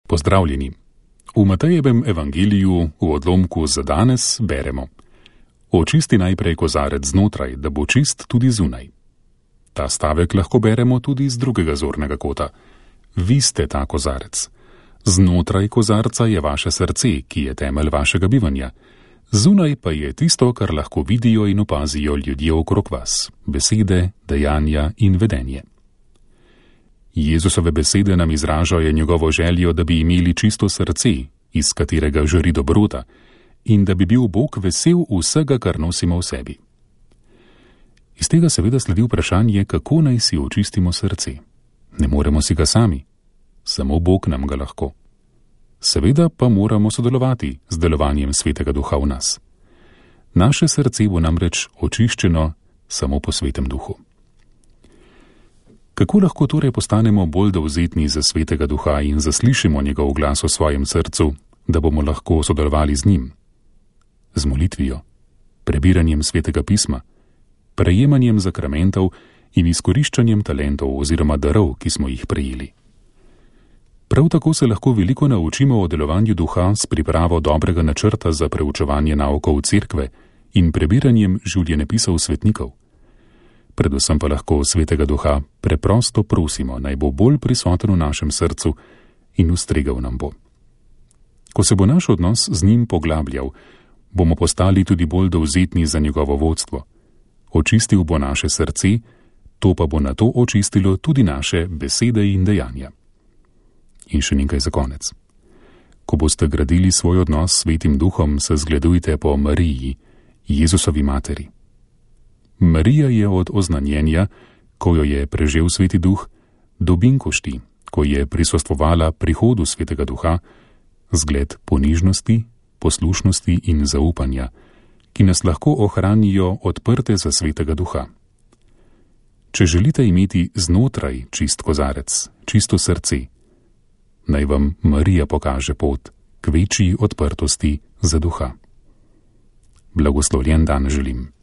Pozdravljeni. V Matejevem evangeliju v odlomku za danes beremo: Očisti najprej kozarec znotraj, da bo čist tudi zunaj. Ta stavek lahko beremo tudi z drugega zornega kota. Vi ste ta kozarec. Znotraj kozarca je vaše srce, ki je temelj vašega bivanja. Zunaj pa je tisto, kar lahko vidijo in opazijo ljudje okrog vas: besede, dejanja in vedenje. Jezusove besede nam izražajo njegovo željo, da bi imeli čisto srce, iz katerega žari dobrota, in da bi bil Bog vesel vsega, kar nosimo v sebi. Iz tega seveda sledi vprašanje, kako naj si očistimo srce. Ne moremo si ga sami, samo Bog nam ga lahko. Seveda pa moramo sodelovati z delovanjem Svetega Duha v nas. Naše srce bo namreč očiščeno samo po Svetem Duhu. Kako lahko torej postanemo bolj dovzetni za Svetega Duha in zaslišimo njegov glas v svojem srcu, da bomo lahko sodelovali z njim? Z molitvijo, prebiranjem Svetega pisma, prejemanjem zakramentov in izkoriščanjem talentov oziroma darov, ki smo jih prejeli. Prav tako se lahko veliko naučimo o delovanju duha s pripravo dobrega načrta za preučevanje naukov cerkve in prebiranjem življenjepisov svetnikov. Predvsem pa lahko Svetega Duha preprosto prosimo, naj bo bolj prisoten v našem srcu in ustregal nam bo. Ko se bo naš odnos z njim poglabljal, bomo postali tudi bolj dovzetni za njegovo vodstvo. Očistil bo naše srce, to pa bo nato očistilo tudi naše besede in dejanja. In še nekaj za konec. Ko boste gradili svoj odnos s Svetim Duhom, se zgledujte po Mariji, Jezusovi materi. Marija je od oznanjenja, ko jo je prežel Sveti Duh, do binkošti, ko je prisostvovala prihodu Svetega Duha, zgled ponižnosti, poslušnosti in zaupanja, ki nas lahko ohranijo odprte za Svetega Duha. Če želite imeti znotraj čist kozarec, čisto srce, naj vam Marija pokaže pot k večji odprtosti za Duha. Blagoslovljen dan želim.